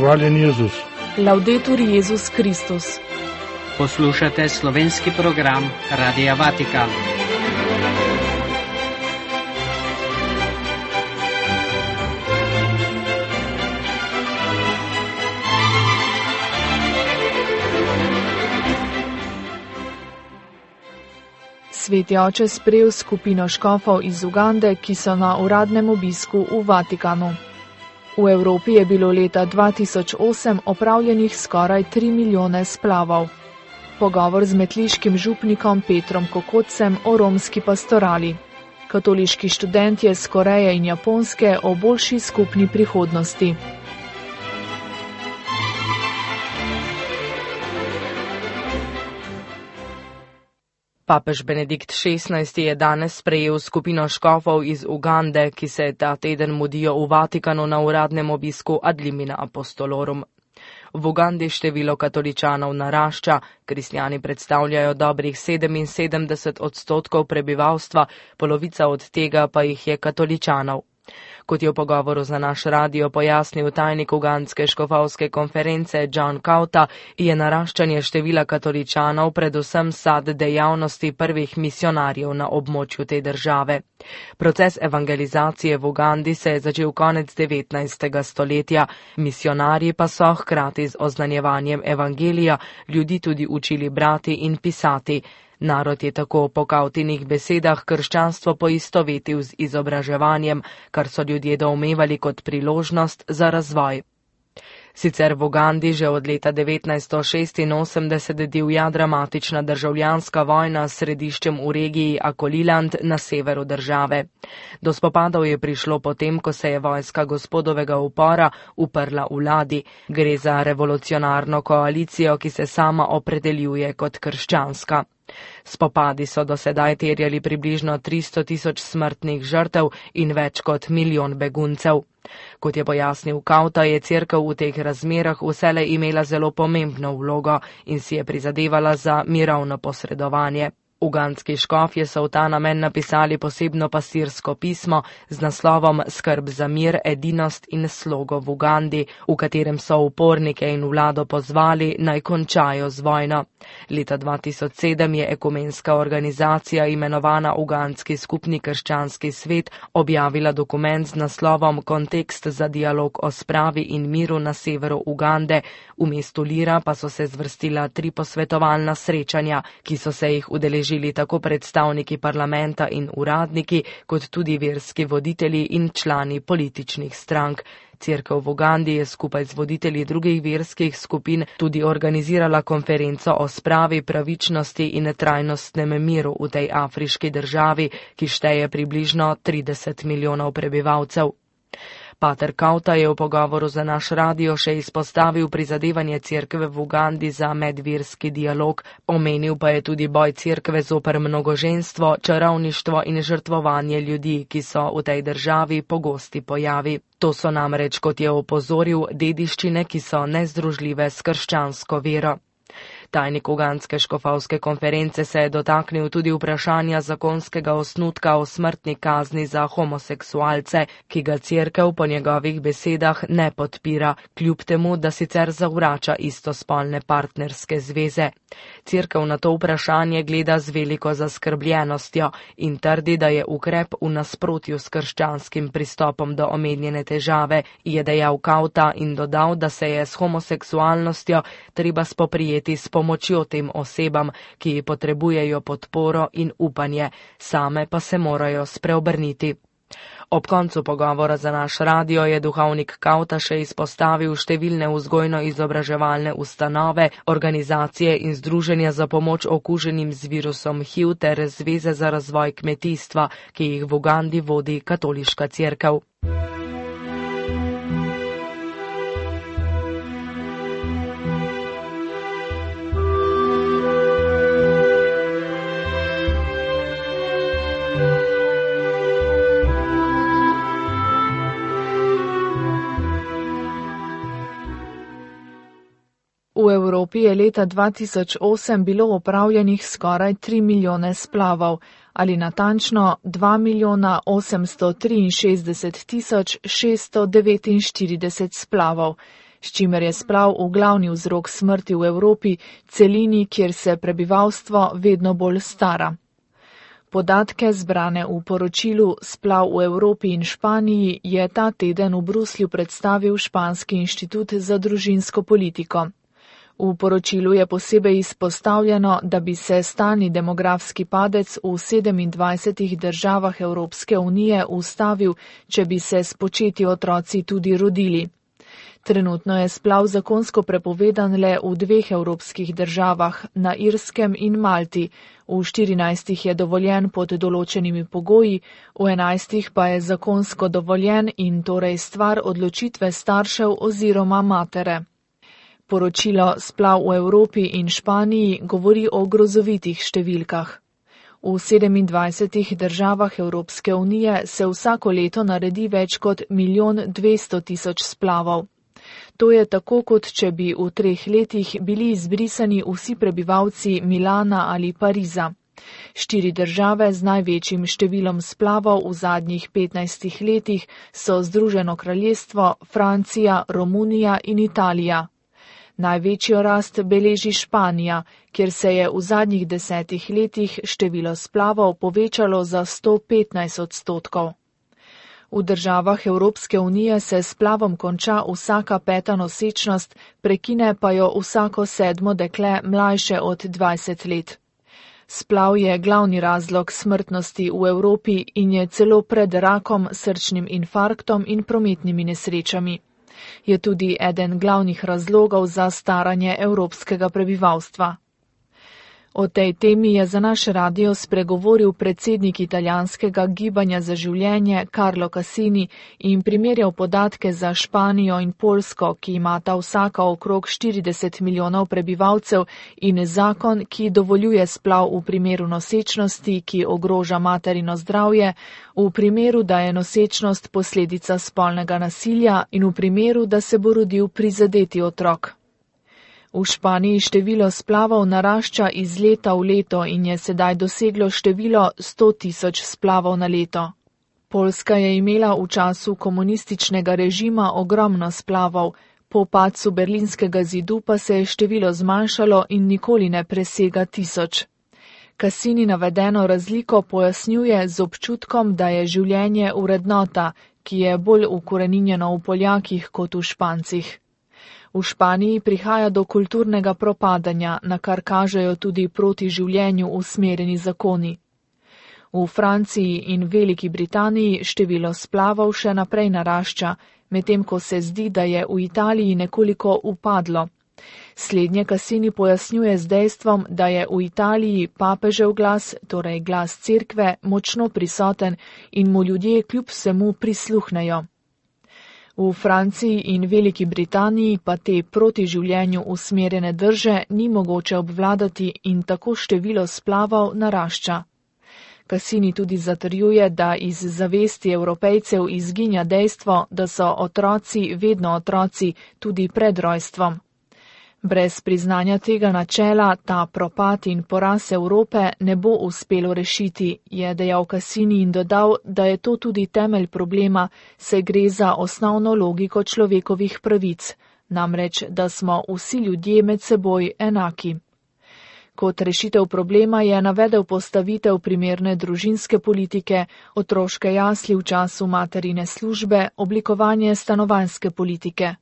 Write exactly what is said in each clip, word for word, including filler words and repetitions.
Hvaljen Jezus. Laudetur Jezus Kristus. Poslušate slovenski program Radia Vatikan. Sveti oče sprejel skupino škofov iz Ugande, ki so na uradnem obisku v Vatikanu. V Evropi je bilo leta dva tisoč osem opravljenih skoraj tri milijone splavov. Pogovor z metliškim župnikom Petrom Kokotcem o romski pastorali. Katoliški študentje z Koreje in Japonske o boljši skupni prihodnosti. Papež Benedikt šestnajsti je danes sprejel skupino škofov iz Ugande, ki se ta teden mudijo v Vatikanu na uradnem obisku ad limina apostolorum. V Ugandi število katoličanov narašča, kristjani predstavljajo dobrih sedeminsedemdeset odstotkov prebivalstva, polovica od tega pa jih je katoličanov. Kot je v pogovoru za naš radio pojasnil tajnik ugandske škofovske konference John Kauta, je naraščanje števila katoličanov predvsem sad dejavnosti prvih misionarjev na območju te države. Proces evangelizacije v Ugandi se je začel konec devetnajstega stoletja, misionarji pa so hkrati z oznanjevanjem evangelija ljudi tudi učili brati in pisati. Narod je tako po Kautinih besedah krščanstvo poistovetil z izobraževanjem, kar so ljudje doumevali kot priložnost za razvoj. Sicer v Ugandi že od leta devetnajststo šestinosemdeset divja dramatična državljanska vojna s središčem v regiji Akoliland na severu države. Do spopadov je prišlo potem, ko se je vojska gospodovega upora uprla vladi. Gre za revolucionarno koalicijo, ki se sama opredeljuje kot krščanska. Spopadi so do sedaj terjali približno tristo tisoč smrtnih žrtev in več kot milijon beguncev. Kot je pojasnil Kauta, je cerkev v teh razmerah vselej imela zelo pomembno vlogo in si je prizadevala za mirovno posredovanje. Ugandski škofje so v ta namen napisali posebno pastirsko pismo z naslovom Skrb za mir, edinost in slogo v Ugandi, v katerem so upornike in vlado pozvali naj končajo z vojno. Leta dva tisoč sedem je ekumenska organizacija imenovana Ugandski skupni krščanski svet objavila dokument z naslovom Kontekst za dialog o spravi in miru na severu Ugande. V mestu Lira pa so se zvrstila tri posvetovalna srečanja, ki so se jih udeležili tako predstavniki parlamenta in uradniki, kot tudi verski voditelji in člani političnih strank. Cerkev v Ugandi je skupaj z voditelji drugih verskih skupin tudi organizirala konferenco o spravi, pravičnosti in trajnostnem miru v tej afriški državi, ki šteje približno trideset milijonov prebivalcev. Pater Kauta je v pogovoru za naš radio še izpostavil prizadevanje cerkve v Ugandi za medverski dialog, omenil pa je tudi boj cerkve zoper mnogoženstvo, čarovništvo in žrtvovanje ljudi, ki so v tej državi pogosti pojavi. To so namreč, kot je opozoril, dediščine, ki so nezdružljive s krščansko vero. Tajnik ugandske škofovske konference se je dotaknil tudi vprašanja zakonskega osnutka o smrtni kazni za homoseksualce, ki ga cerkev po njegovih besedah ne podpira, kljub temu, da sicer zavrača istospolne partnerske zveze. Cerkev na to vprašanje gleda z veliko zaskrbljenostjo in trdi, da je ukrep v nasprotju s krščanskim pristopom do omenjene težave, je dejal Kauta in dodal, da se je s homoseksualnostjo treba spoprijeti s pomočjo tem osebam, ki potrebujejo podporo in upanje, same pa se morajo spreobrniti. Ob koncu pogovora za naš radio je duhovnik Kauta še izpostavil številne vzgojno-izobraževalne ustanove, organizacije in združenja za pomoč okuženim z virusom H I V ter zveze za razvoj kmetijstva, ki jih v Ugandi vodi katoliška cerkev. V Evropi je leta dva tisoč osem bilo opravljenih skoraj tri milijone splavov, ali natančno dva milijona osemsto triinšestdeset tisoč šeststo devetinštirideset splavov. s čimer je splav v glavni vzrok smrti v Evropi, celini, kjer se prebivalstvo vedno bolj stara. Podatke zbrane v poročilu Splav v Evropi in Španiji je ta teden v Bruslju predstavil Španski inštitut za družinsko politiko. V poročilu je posebej izpostavljeno, da bi se stalni demografski padec v sedemindvajsetih državah Evropske unije ustavil, če bi se spočeti otroci tudi rodili. Trenutno je splav zakonsko prepovedan le v dveh evropskih državah, na Irskem in Malti, v štirinajstih je dovoljen pod določenimi pogoji, v enajstih pa je zakonsko dovoljen in torej stvar odločitve staršev oziroma matere. Poročilo Splav v Evropi in Španiji govori o grozovitih številkah. V sedemindvajsetih državah Evropske unije se vsako leto naredi več kot milijon dvesto tisoč splavov. To je tako, kot če bi v treh letih bili izbrisani vsi prebivalci Milana ali Pariza. Štiri države z največjim številom splavov v zadnjih petnajstih letih so Združeno kraljestvo, Francija, Romunija in Italija. Največjo rast beleži Španija, kjer se je v zadnjih desetih letih število splavov povečalo za sto petnajst odstotkov. V državah Evropske unije se splavom konča vsaka peta nosečnost, prekine pa jo vsako sedmo dekle mlajše od dvajset let. Splav je glavni razlog smrtnosti v Evropi in je celo pred rakom, srčnim infarktom in prometnimi nesrečami. Je tudi eden glavnih razlogov za staranje evropskega prebivalstva. O tej temi je za naš radio spregovoril predsednik italijanskega gibanja za življenje Carlo Cassini in primerjal podatke za Španijo in Poljsko, ki imata vsaka okrog štirideset milijonov prebivalcev, in zakon, ki dovoljuje splav v primeru nosečnosti, ki ogroža materino zdravje, v primeru, da je nosečnost posledica spolnega nasilja in v primeru, da se bo rodil prizadeti otrok. V Španiji število splavov narašča iz leta v leto in je sedaj doseglo število sto tisoč splavov na leto. Poljska je imela v času komunističnega režima ogromno splavov, po padcu berlinskega zidu pa se je število zmanjšalo in nikoli ne presega tisoč. Cassini navedeno razliko pojasnjuje z občutkom, da je življenje vrednota, ki je bolj ukoreninjeno v Poljakih kot v Špancih. V Španiji prihaja do kulturnega propadanja, na kar kažejo tudi proti življenju usmerjeni zakoni. V Franciji in Veliki Britaniji število splavov še naprej narašča, medtem ko se zdi, da je v Italiji nekoliko upadlo. Slednje Cassini pojasnjuje z dejstvom, da je v Italiji papežev glas, torej glas cerkve, močno prisoten in mu ljudje kljub vsemu prisluhnejo. V Franciji in Veliki Britaniji pa te proti življenju usmerjene drže ni mogoče obvladati in tako število splavov narašča. Cassini tudi zatrjuje, da iz zavesti Evropejcev izginja dejstvo, da so otroci vedno otroci tudi pred rojstvom. Brez priznanja tega načela ta propad in poraz Evrope ne bo uspelo rešiti, je dejal Cassini in dodal, da je to tudi temelj problema, saj gre za osnovno logiko človekovih pravic, namreč, da smo vsi ljudje med seboj enaki. Kot rešitev problema je navedel postavitev primerne družinske politike, otroške jasli v času materine službe, oblikovanje stanovanjske politike.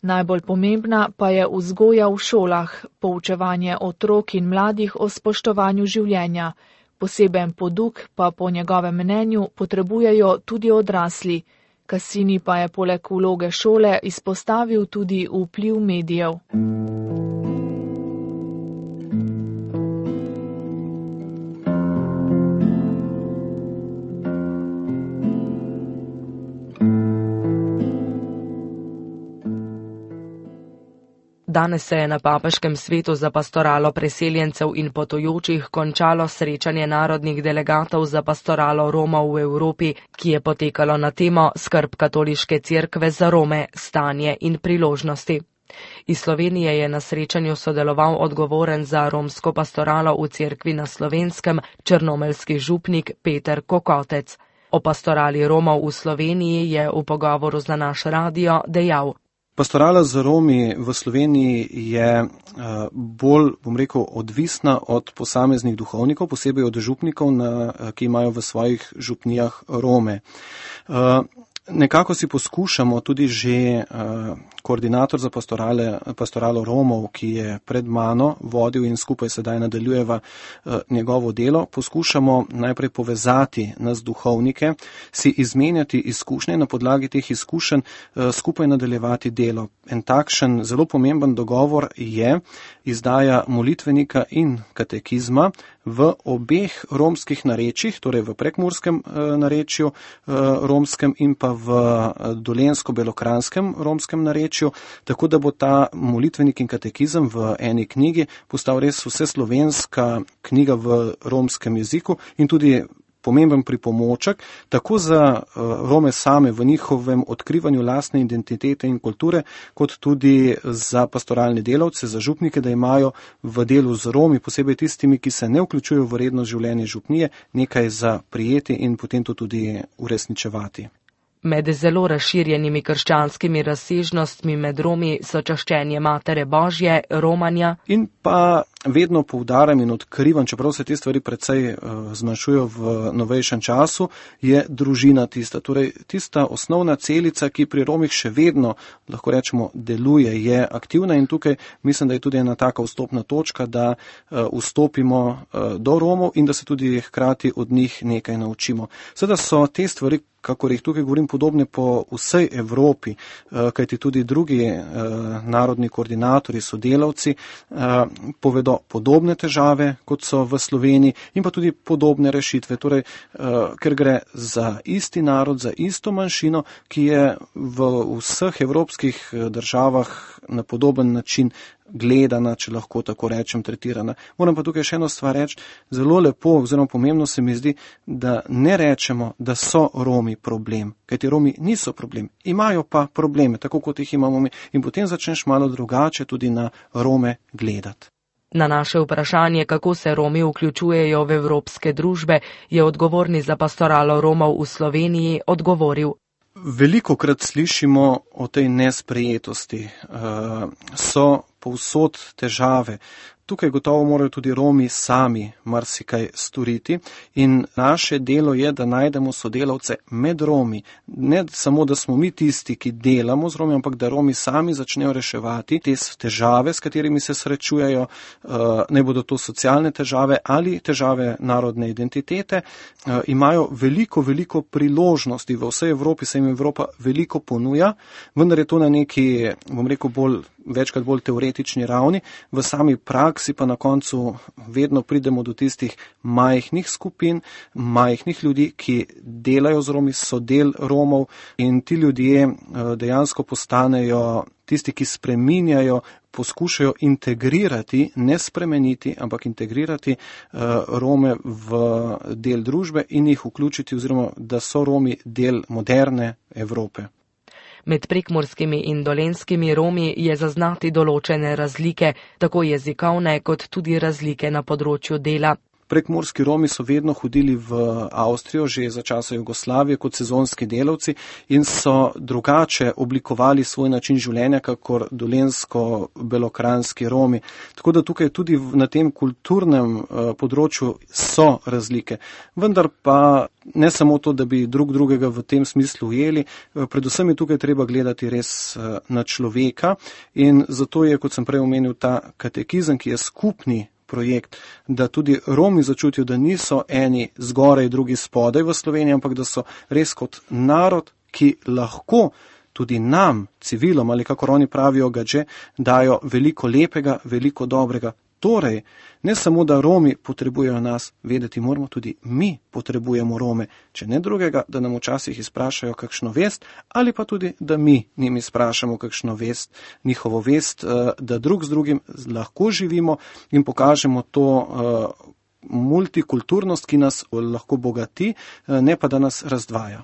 Najbolj pomembna pa je vzgoja v šolah, poučevanje otrok in mladih o spoštovanju življenja. Poseben poduk pa po njegovem mnenju potrebujejo tudi odrasli. Cassini pa je poleg vloge šole izpostavil tudi vpliv medijev. Danes se je na papežkem svetu za pastoralo preseljencev in potujočih končalo srečanje narodnih delegatov za pastoralo Romov v Evropi, ki je potekalo na temo skrb katoliške cerkve za Rome, stanje in priložnosti. Iz Slovenije je na srečanju sodeloval odgovoren za romsko pastoralo v cerkvi na Slovenskem, črnomeljski župnik Peter Kokotec. O pastorali Romov v Sloveniji je v pogovoru za naš radio dejal: Pastorala z Romi v Sloveniji je bolj, bom rekel, odvisna od posameznih duhovnikov, posebej od župnikov, na, ki imajo v svojih župnijah Rome. Nekako si poskušamo tudi že uh, koordinator za pastorale, pastoralo Romov, ki je pred mano vodil in skupaj sedaj nadaljujeva uh, njegovo delo, poskušamo najprej povezati nas duhovnike, si izmenjati izkušnje, na podlagi teh izkušenj uh, skupaj nadaljevati delo. En takšen zelo pomemben dogovor je izdaja molitvenika in katekizma v obeh romskih narečjih, torej v prekmurskem uh, narečju uh, romskem in pa v dolensko-belokranskem romskem narečju, tako da bo ta molitvenik in katekizem v eni knjigi postal res vseslovenska knjiga v romskem jeziku in tudi pomemben pripomoček, tako za Rome same v njihovem odkrivanju lastne identitete in kulture, kot tudi za pastoralne delavce, za župnike, da imajo v delu z Romi, posebej tistimi, ki se ne vključujejo v redno življenje župnije, nekaj za prijeti in potem to tudi uresničevati. Med zelo razširjenimi krščanskimi razsežnostmi med Romi so čaščenje Matere Božje, romanja. In pa vedno poudarjam in odkrivam, čeprav se te stvari precej uh, zmanjšujejo v novejšem času, je družina tista. Torej, tista osnovna celica, ki pri Romih še vedno, lahko rečemo, deluje, je aktivna in tukaj mislim, da je tudi ena taka vstopna točka, da uh, vstopimo uh, do Romov in da se tudi hkrati od njih nekaj naučimo. Seveda so te stvari, kakor jih tukaj govorim, podobne po vsej Evropi, kajti tudi drugi narodni koordinatorji, sodelavci povedo podobne težave, kot so v Sloveniji, in pa tudi podobne rešitve. Torej, ker gre za isti narod, za isto manjšino, ki je v vseh evropskih državah na podoben način gledana, če lahko tako rečem, tretirana. Moram pa tukaj še eno stvar reči, zelo lepo oziroma pomembno se mi zdi, da ne rečemo, da so Romi problem, kajti Romi niso problem, imajo pa probleme, tako kot jih imamo mi, in potem začneš malo drugače tudi na Rome gledati. Na naše vprašanje, kako se Romi vključujejo v evropske družbe, je odgovorni za pastoralo Romov v Sloveniji odgovoril. Velikokrat slišimo o tej nesprejetosti, so povsod težave. Tukaj gotovo morajo tudi Romi sami marsikaj storiti in naše delo je, da najdemo sodelavce med Romi. Ne samo, da smo mi tisti, ki delamo z Romi, ampak da Romi sami začnejo reševati te težave, s katerimi se srečujejo, ne bodo to socialne težave ali težave narodne identitete. Imajo veliko, veliko priložnosti v vsej Evropi, se jim Evropa veliko ponuja, vendar je to na neki, bom rekel, bolj večkrat bolj teoretični ravni, v sami praksi pa na koncu vedno pridemo do tistih majhnih skupin, majhnih ljudi, ki delajo z Romi, so del Romov in ti ljudje dejansko postanejo tisti, ki spreminjajo, poskušajo integrirati, ne spremeniti, ampak integrirati Rome v del družbe in jih vključiti, oziroma da so Romi del moderne Evrope. Med prekmurskimi in dolenskimi Romi je zaznati določene razlike, tako jezikovne kot tudi razlike na področju dela. Prekmurski Romi so vedno hodili v Avstrijo, že za časa Jugoslavije, kot sezonski delavci in so drugače oblikovali svoj način življenja, kakor dolensko-belokranski Romi. Tako da tukaj tudi na tem kulturnem področju so razlike. Vendar pa ne samo to, da bi drug drugega v tem smislu ujeli, predvsem je tukaj treba gledati res na človeka in zato je, kot sem prej omenil, ta katekizem, ki je skupni projekt, da tudi Romi začutijo, da niso eni zgoraj, drugi spodaj v Sloveniji, ampak da so res kot narod, ki lahko tudi nam, civilom ali kako oni pravijo gadže, dajo veliko lepega, veliko dobrega. Torej, ne samo, da Romi potrebujejo nas, vedeti moramo tudi mi potrebujemo Rome, če ne drugega, da nam včasih izprašajo kakšno vest, ali pa tudi, da mi njim izprašamo kakšno vest, njihovo vest, da drug z drugim lahko živimo in pokažemo to multikulturnost, ki nas lahko bogati, ne pa da nas razdvaja.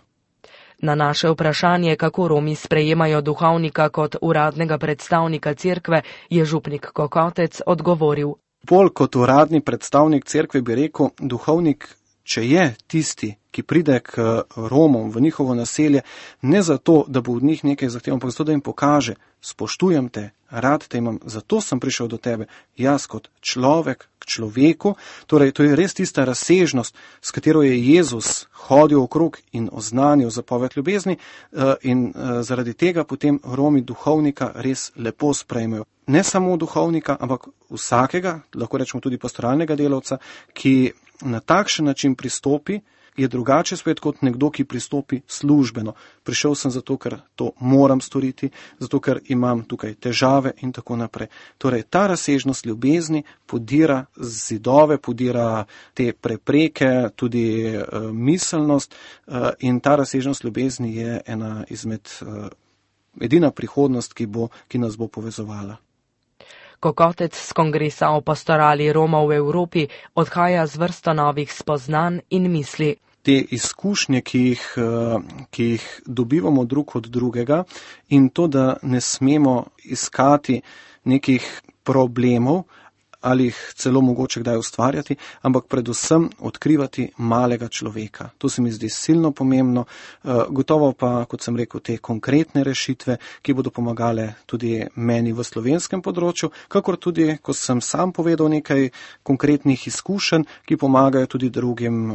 Na naše vprašanje, kako Romi sprejemajo duhovnika kot uradnega predstavnika cerkve, je župnik Kokotec odgovoril. Bolj kot uradni predstavnik cerkve bi rekel, duhovnik če je tisti, ki pride k Romom v njihovo naselje, ne zato, da bo od njih nekaj zahteval, ampak zato, da jim pokaže, spoštujem te, rad te imam, zato sem prišel do tebe, jaz kot človek k človeku. Torej, to je res tista razsežnost, s katero je Jezus hodil okrog in oznanil zapoved ljubezni, in zaradi tega potem Romi duhovnika res lepo sprejmejo. Ne samo duhovnika, ampak vsakega, lahko rečemo tudi pastoralnega delavca, ki na takšen način pristopi, je drugače spet kot nekdo, ki pristopi službeno. Prišel sem zato, ker to moram storiti, zato, ker imam tukaj težave in tako naprej. Torej, ta razsežnost ljubezni podira zidove, podira te prepreke, tudi uh, miselnost uh, in ta razsežnost ljubezni je ena izmed, uh, edina prihodnost, ki, bo, ki nas bo povezovala. Kokotec z kongresa o pastorali Romov v Evropi odhaja z vrsto novih spoznanj in misli. Te izkušnje, ki jih, ki jih dobivamo drug od drugega, in to, da ne smemo iskati nekih problemov ali jih celo mogoče kdaj ustvarjati, ampak predvsem odkrivati malega človeka. To se mi zdi silno pomembno, gotovo pa, kot sem rekel, te konkretne rešitve, ki bodo pomagale tudi meni v slovenskem področju, kakor tudi, ko sem sam povedal nekaj konkretnih izkušenj, ki pomagajo tudi drugim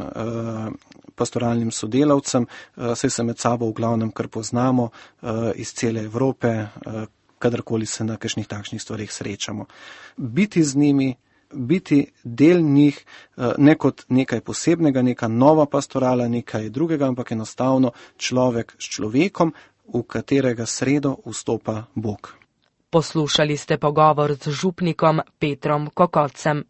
pastoralnim sodelavcem, saj se med sabo v glavnem kar poznamo iz cele Evrope, kadarkoli se na kakšnih takšnih stvarih srečamo. Biti z njimi, biti del njih, ne kot nekaj posebnega, neka nova pastorala, nekaj drugega, ampak enostavno človek s človekom, v katerega sredo vstopa Bog. Poslušali ste pogovor z župnikom Petrom Kokotcem.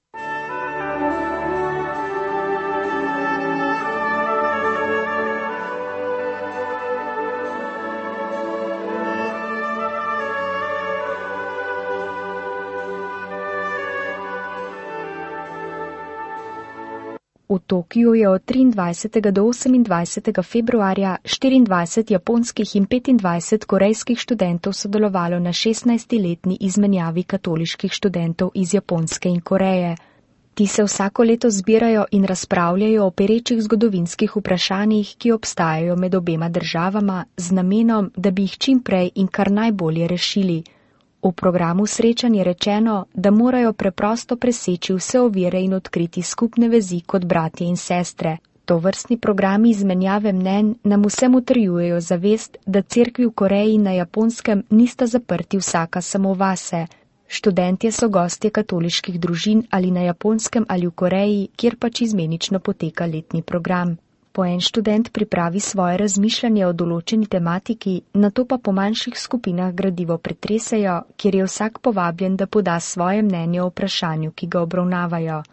V Tokiju je od triindvajsetega do osemindvajsetega februarja štiriindvajset japonskih in petindvajset korejskih študentov sodelovalo na šestnajstletni izmenjavi katoliških študentov iz Japonske in Koreje. Ti se vsako leto zbirajo in razpravljajo o perečih zgodovinskih vprašanjih, ki obstajajo med obema državama, z namenom, da bi jih čim prej in kar najbolje rešili. V programu srečanj je rečeno, da morajo preprosto preseči vse ovire in odkriti skupne vezi kot bratje in sestre. Tovrstni programi izmenjave mnenj nam vsem utrjujejo zavest, da cerkvi v Koreji in na Japonskem nista zaprti vsaka samo vase. Študentje so gostje katoliških družin ali na Japonskem ali v Koreji, kjer pač izmenično poteka letni program. Po en študent pripravi svoje razmišljanje o določeni tematiki, nato pa po manjših skupinah gradivo pretresejo, kjer je vsak povabljen, da poda svoje mnenje o vprašanju, ki ga obravnavajo.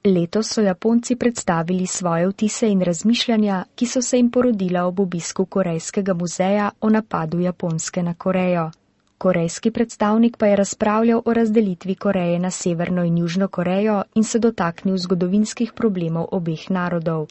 Letos so Japonci predstavili svoje vtise in razmišljanja, ki so se jim porodila ob obisku Korejskega muzeja o napadu Japonske na Korejo. Korejski predstavnik pa je razpravljal o razdelitvi Koreje na Severno in Južno Korejo in se dotaknil zgodovinskih problemov obeh narodov.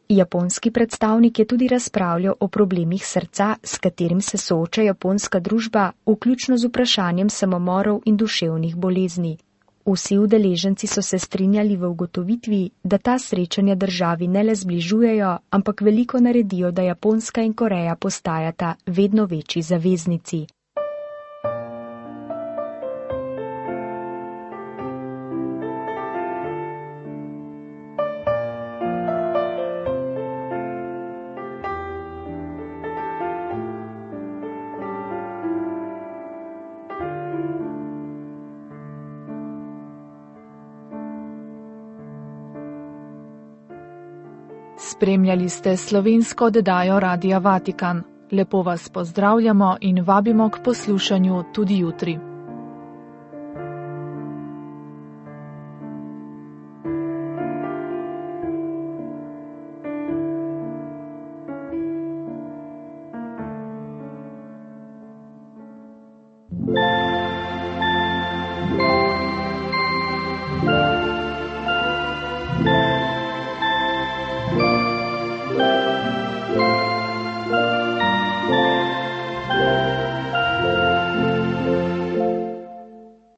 Japonski predstavnik je tudi razpravljal o problemih srca, s katerim se sooča japonska družba, vključno z vprašanjem samomorov in duševnih bolezni. Vsi udeleženci so se strinjali v ugotovitvi, da ta srečanja državi ne le zbližujejo, ampak veliko naredijo, da Japonska in Koreja postajata vedno večji zaveznici. Spremljali ste slovensko oddajo Radia Vatikan. Lepo vas pozdravljamo in vabimo k poslušanju tudi jutri.